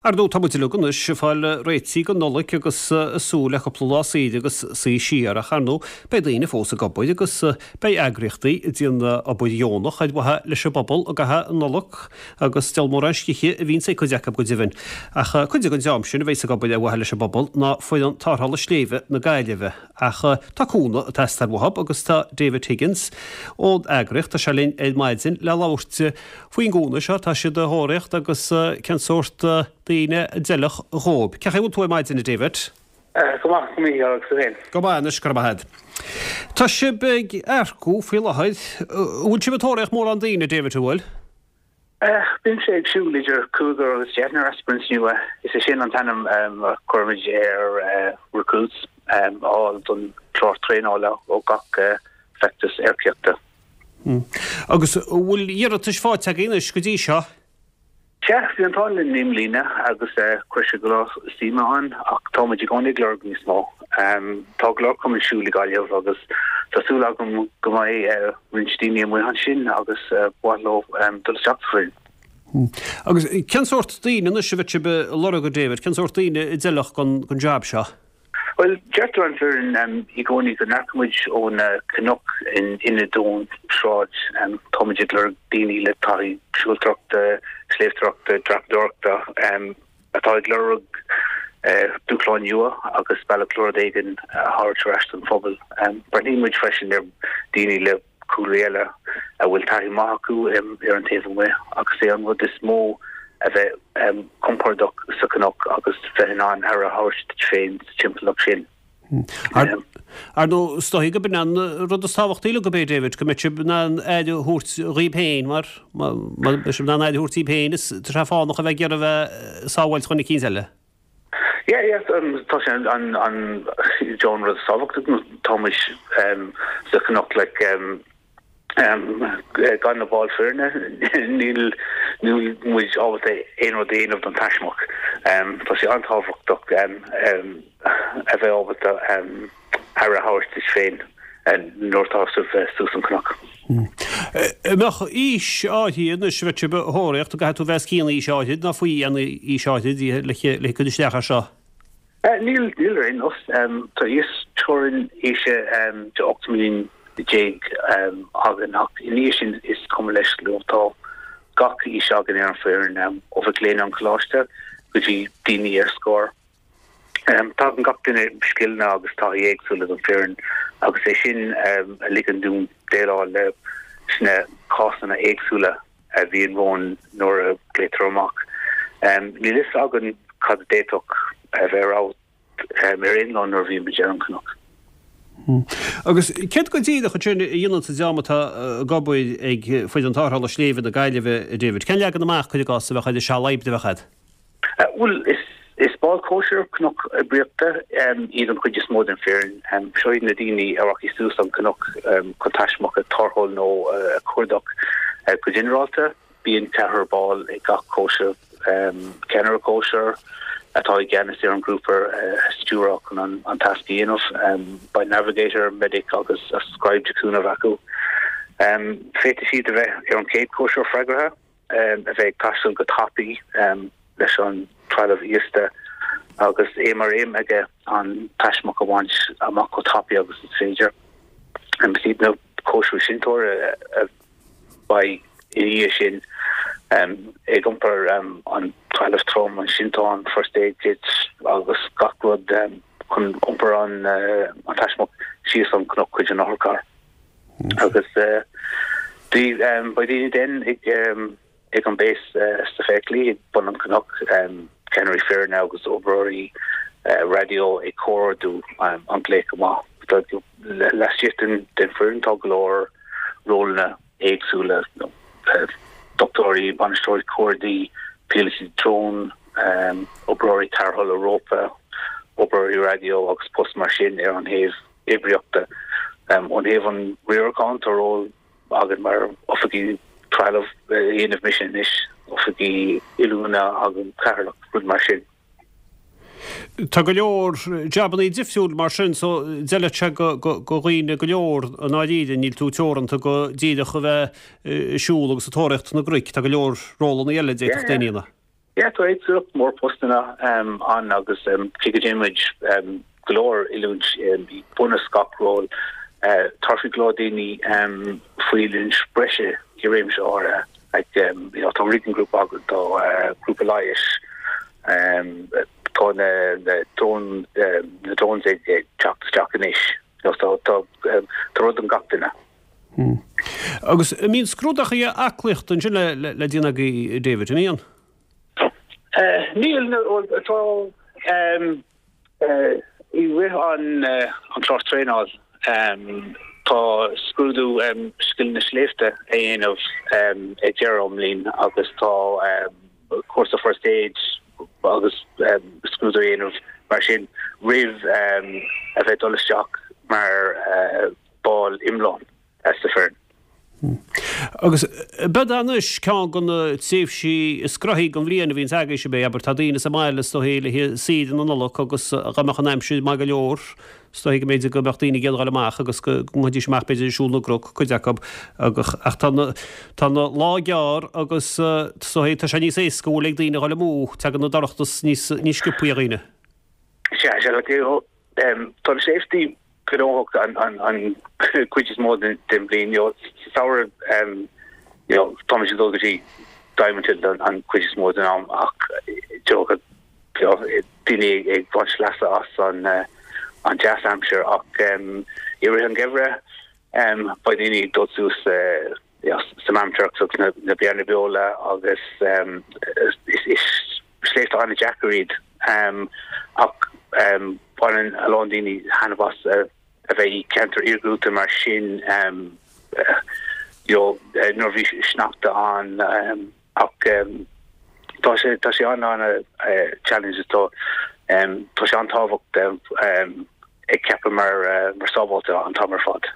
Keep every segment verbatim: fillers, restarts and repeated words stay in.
Ar ndóigh, tá muid uilig anois ag fáil réitithe don Nollaig agus ag súil le cúpla lá saoire agus suí siar ach ar ndóigh beidh daoine fós ag obair agus beidh eagraíochtaí ag déanamh obair dheonach ar mhaithe leis an bpobal i gcaitheamh na Nollag agus diabhal mórán scíthe a bhíonns ag cuid acu go deimhin. Ach cuid den dream sin a bheas ag obair ar mhaithe leis an bpobal ná foireann tarrthála sléibhe na Gaillimhe. Ach tá cúnamh ag teastáil uathu agus tá David Higgins ón eagraíocht, tá sé linn ar maidin le labhairt faoin gcúnamh seo tá siad a thóraíocht agus cén sórt daoine a d'fheilfeadh dhóibh. Cén chaoi a bhfuil tú ar maidin, a David? Go maith, a Mhícheáil, agus tú féin? Go maith anois, go raibh maith agat. Tá sibh ag earcú faoi láthair. An bhfuil sibh ag tóraíocht mórán daoine, David, an bhfuil? Bímse ag siúl idir cúigear agus deichniúr aspirants nua. Is é sin an t-ainm a chuirimid ar recruits a fháil don chlár traenála ó gach feachtas earcaíochta. Agus an bhfuil iarratais faighte agaibh anois go dtí seo? Sea, bhí an t-ádh linn i mbliana agus chuir sé go leor suime ann ach táimid i gcónaí ag lorg níos mó. Tá go leor cumainn siúil i Gaillimh agus tá súil agam go mbeidh roinnt daoine amuigh ansin agus ba mhaith leo dul isteach sa bhfoireann. Agus cén sórt daoine anois a bheadh sibh ag lorg, a David, cén sórt daoine a d'fheilfeadh don jab seo? Bhuel, deirtear an foireann i gcónaí go n-earcaímid ó na cnoic in ionad ón sráid. Táimid ag lorg daoine le taithí siúltóireachta, sléibhteoireachta, dreapadóireachta atá ag lorg dúshláin nua agus bealach le rud éigin a thabhairt ar ais don phobal. Breathnaíonn muid freisin ar daoine le cúlraí eile a bhfuil taithí maith acu ar an taobh amuigh agus é an rud is mó a bheith compordach sa chnoc agus bheith in ann aire a thabhairt duit féin sa timpeallacht sin. Ar ndóigh, is dóigh gurb in an rud is tábhachtaí uilig, ab é, David, go mbeidh sibh in ann aire a thabhairt dhaoibh féin mar má beidh sibh in ann aire a thabhairt daoibh féin is tá sé fánach a bheith ag iarraidh a bheith sábháilte dhuine eicínt eile. Yeah, yeah, tá sé an an John rud tábhachtach tá muid sa chnoc like gan na baill foirne níl níl muid ábalta aon rud a dhéanamh don taismeach. Tá sé an-tábhachtach a bheith ábalta aire a thabhairt duit féin nuair atá sibh suas an cnoc. An mbeadh aois áirithe anois a bheadh sibh a thóraíocht, an gcaithfidh tú bheith os cionn aois áirithe nó faoi aois áirithe le cur isteach air seo? Níl, níl ar aon nós. Tá íosteorainn aoise de ocht mbliana déag againn ach ina dhiaidh sin is cuma leis leo. Tá gach aois againn ar an bhfoireann, ó mhic léinn an choláiste go dtí daoine ar scor. Tagann gach duine scileanna agus taithí éagsúla don foireann agus é sin a ligeann dúinn déileáil leis na cásanna éagsúla a bhíonn romhainn nuair a ghlaotar amach. Níl fhios againn cad a d'fhéadfadh a bheith romhat ar aon lá nuair a bhíonn muid ar an chnoc. Agus céard go díreach ansin a dhéanann an dream atá ag obair ag Foireann Tarrthála Sléibhe na Gaillimhe, a David? Cén leagan amach, cuir i gcás, a bheadh ar an seal oibre a bheadh agat? Bhuel, is baill cóisir cnoc oibríochta iad an chuid is mó den foireann. Seo iad na daoine a rachaidh suas an cnoc chun taismeach a tarrtháil nó a chuardach. Go ginearálta, bíonn ceathrar ball ag gach cóisir, ceannaire cóisir atá i gceannas ar an ghrúpa a stiúradh chun an tasc a dhéanamh. Beidh navigator, medic agus scribe de chúnamh acu. Féadfaidh siad a bheith ar an chéad chóisir freagartha. a bheith ag taisteal go tapaidh leis an trealamh íosta agus é mar aidhm aige an taismeach a bhaint amach chomh tapaidh agus is féidir. Is iad na cóisirí seinnteoirí a bheidh ina dhiaidh sin ag iompar an trealamh trom, an sinteán, first aid kit agus gach rud chun iompar an taismeach síos an cnoc chuig an otharcharr. Agus beidh daoine den ag an base sna feithiclí ag bun an chnoic, ceannairí foirne agus oibreoirí raidió ag comhordú an glaoch amach. Laistigh den foireann tá go leor rólanna éagsúla, dochtúirí, bainisteoirí cuardaigh, píolótaí drón, oibreoirí tarrthála rópa, oibreoirí raidió agus poist mar sin ar an thaobh oibríochta. Ón thaobh an riaracháin, tá ról againn mar oifigigh trealaimh a dhéanamh mise anois, oifigigh oiliúna agus cathaoirleach, rud mar sin. Tá go leor jabannaí difriúil mar sin so d'fheilfeadh sé go dhaoine go leor i ndáiríre, níl tú teoranta go díreach a bheith ag siúl agus ag tóraíocht na gcnoic, tá go leor rólannaí eile a d'fhéadfadh daoine a dhéanamh. Yeah, tá éagsúlacht mór postanna ann agus cé go ndéanaimid go leor oiliúint i bunús gach ról, tabharfaidh go leor daoine faoi oiliúint breise i réimse áirithe. Like, you know, tá rigging group againn, tá grúpa leighis, tá na na drone na drones ag teacht isteach anois. You know, so tá tá rud don gach duine. Hmm. Agus an mbíonn scrúdaithe aclaíochta ansin le le le déanamh agaibh David, an mbíonn? Níl tá i rith an an chlár traenáil tá scrúdú scileanna sléibhte a dhéanamh ag deireadh an bhliain agus tá cúrsa first aid agus scrúdú a dhéanamh mar sin roimh a bheith dul isteach mar ball iomlán sa foireann. Agus b'fhéidir anois ceann de na tréimhsí is gnoithí den bhliain a bhíonns agaibhse ab é, abair, tá daoine sa mbaile is dóichí le haghaidh saoire na Nollag agus dá mbeadh an aimsir maith go leor, is dóichí go mb'fhéidir go mbeadh daoine ag iarraidh dul amach agus go ngabhfaidís amach b'fhéidir ag siúl na gcnoc, cuid acu, ach tá na tá na lá gearr agus is dóichí tá sé níos éasca go bhfuil ag daoine a dhul amú, tagann an dorchadas níos níos sciobthaí ar dhaoine. Sea, sea, tá na sléibhte gnóthach an an an cuid is mó den den bhliain you know, sa samhradh um, you know, táimid ag dul go dtí Diamond Hill an, an cuid is mó den am ach you know, daoine ag ag baint leasa as an uh, an deas aimsir ach um, i rith an geimhreadh um, beidh daoine ag dul suas uh, you know, sa Maamturks agus na, na Beanna Beola agus um, is, is sléibhte an-deacair iad um, ach um, baineann a lán daoine taitneamh as uh, a bheith i ceantar iargúlta mar sin um, uh, you know, uh, nuair bhí sneachta ann um, ach um, tá sé tá sé an an uh, challenge tá um, tá sé an-tábhachtach um, ag ceapadh mar uh, mar sábháilte an t-am ar fad.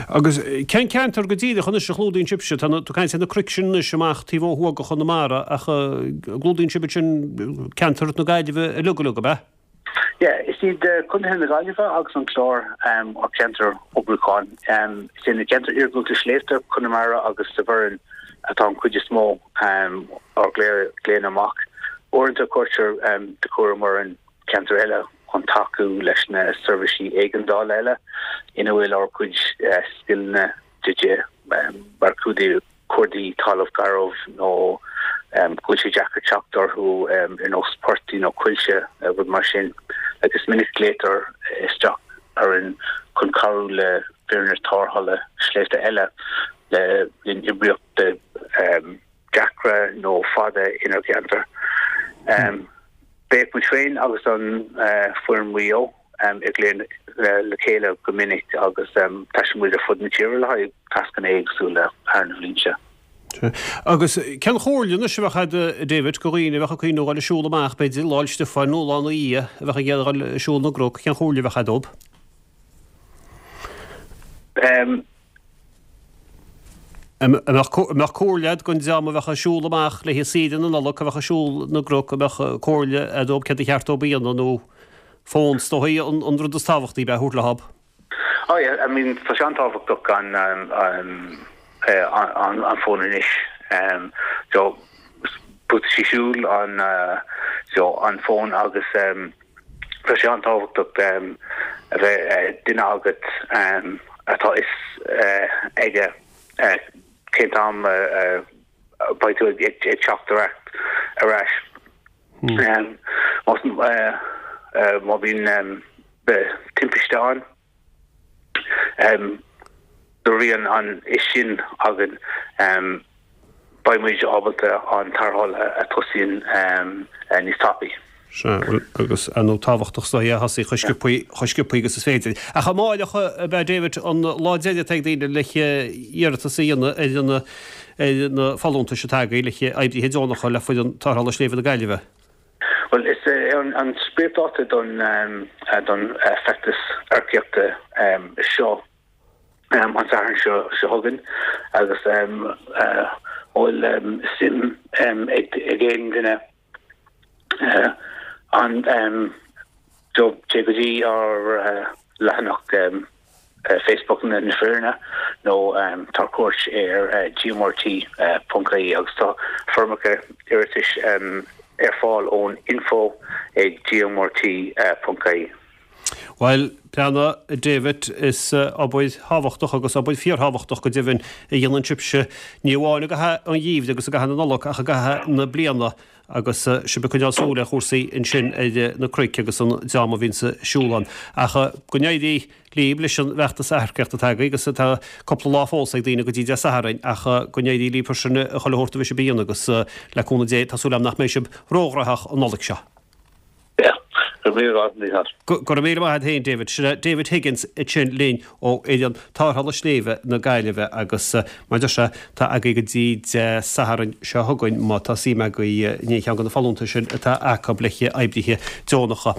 Agus cén ceantar go díreach anois a chlúdaíonn sibhse tá tú caint na cnoic sin anois amach taobh ó thuaidh de Chonamara ach clúdaíonn sibh sin ceantar na Gaillimhe uilig uilig ab ea? Yeah, is iad Contaetha na Gaillimhe agus an Clár um, ár ceantar oibriúcháin. Um, is na ceantar iargúlta sléibhte Conamara agus sa Bhoireann atá an chuid is mó um, ár nglaonna amach. Uaireanta cuirtear um, de chúram orainn ceantar eile chun tacú leis na seirbhísí éigeandála eile ina bhfuil ár gcuid uh, scileanna de dhíth um, mar cuardaigh cuardaigh talamh garbh nó um, go bhfuil sé deacair teacht orthu um, ar nós portaigh nó coillte uh, rud mar sin agus minic glaotar isteach orainn chun cabhrú le foirne tarrthála sléibhte eile le linn oibríochta um, deacra nó fada inár gceantar. Um, Beidh muid féin agus an uh, foireann Mhaigh Eo um, ag glaoch le, le chéile go minic agus um, taistil muid ar fud na tíre le haghaidh tascanna éagsúla thar na blianta. Agus cén chomhairle anois a bheadh agat David do dhaoine a bheadh ag cuimhneamh dul ag siúl amach b'fhéidir Lá 'le Stiofáin nó lá ina dhiaidh a bheadh ag iarraidh dul ag siúl na gcnoc, cén chomhairle a bheadh agat dóibh? Um, Mbeadh comhairle agat don dream a bheadh ag siúl amach le haghaidh saoire na Nollag a bheadh ag siúl na gcnoc a mbeadh comhairle agat dóibh céard ba cheart dóibh a dhéanamh nó fón is dóichí an, an rud is tábhachtaí bheith thabhairt leo. Oh yeah, I mean tá sé an-tábhachtach an um, um, uh, an, an fón anois. Um, so buataisí siúil an uh, so an fón agus um, tá sé an-tábhachtach um, a bheith uh, duine agat um, atá fhios uh, aige uh, cén t-am uh, uh, beidh tú ag ag teacht ar ar ais. Um, má uh, uh, má bhíonn um, timpiste ann um, nuair a bhíonn an fhios sin againn um, beidh muid ábalta an tarrtháil a tosaíonn um, níos tapaí. Sea, agus an nó tábhachtach sa a thosaí chomh sciobtha chomh sciobtha agus is féidir. Ach amárach ab ea David an lá deiridh ag daoine le hiarratas a dhéanamh ar na ar na folúntais atá agaibh le oibrithe deonacha le foireann tarrthála sléibhe na Gaillimhe. Well is uh, an, an spriocdháta don um, uh, don uh, feachtas earcaíochta um, seo um, an Satharn seo seo chugainn agus um, uh, bhfuil um, suim um, ag ag aon duine uh, an um, do téigh go dtí ár uh, leathanach um, Facebook na na foirne nó um, tabhair cuairt ar uh, gmrt uh, ponc ie agus tá foirmeacha iarratais um, ar fáil ón info ag gmrt uh, ponc ie. Well, Breandán David is uh, obair thábhachtach agus obair fíorthábhachtach go deimhin a dhéanann sibhse ní amháin i gcaitheamh an gheimhridh agus i gcaitheamh na Nollag ach i gcaitheamh na bliana agus uh, sibh ag coinneáil súil ar chúrsaí ansin ar na cnoic agus an dream a bhíonn ag siúl ann. Ach uh, go n-éirí libh leis an bhfeachtas earcaíochta atá agaibh agus tá cúpla lá fós ag daoine go dtí Dé Sathairn ach go n-éirí libh sin a chuile shórt a bheidh sibh a dhéanamh agus le cúnamh Dé tá súil agam nach mbeidh sibh róghnóthach an Nollaig seo. Go raibh míle maith agat féin David Sin David Higgins ansin linn ó fhoireann tarrthála sléibhe na Gaillimhe agus mar a deir sé tá agaibh go dtí Dé Sathairn seo chugainn má tá suim agaibh in aon cheann de na folúntais sin atá acu le oibrithe deonacha.